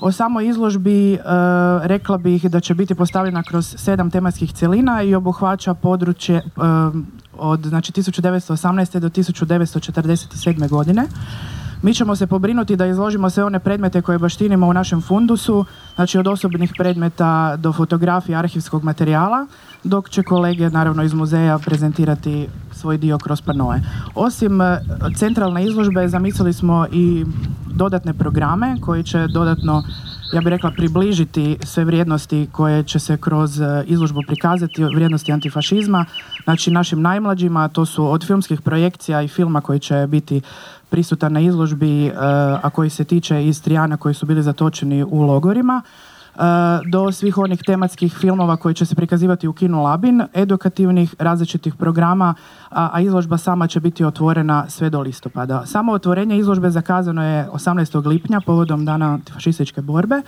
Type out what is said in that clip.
O samoj izložbi rekla bih da će biti postavljena kroz 7 tematskih cjelina i obuhvaća područje od 1918. do 1947. godine. Mi ćemo se pobrinuti da izložimo sve one predmete koje baštinimo u našem fundusu, znači od osobnih predmeta do fotografija, arhivskog materijala, dok će kolege naravno iz muzeja prezentirati svoj dio kroz panoe. Osim centralne izložbe zamislili smo i dodatne programe koji će dodatno, ja bih rekla, približiti sve vrijednosti koje će se kroz izložbu prikazati, vrijednosti antifašizma, znači našim najmlađima, to su od filmskih projekcija i filma koji će biti prisutan na izložbi, a koji se tiče Istrijana koji su bili zatočeni u logorima, do svih onih tematskih filmova koji će se prikazivati u Kinu Labin, edukativnih različitih programa, a izložba sama će biti otvorena sve do listopada. Samo otvorenje izložbe zakazano je 18. lipnja povodom Dana antifašističke borbe.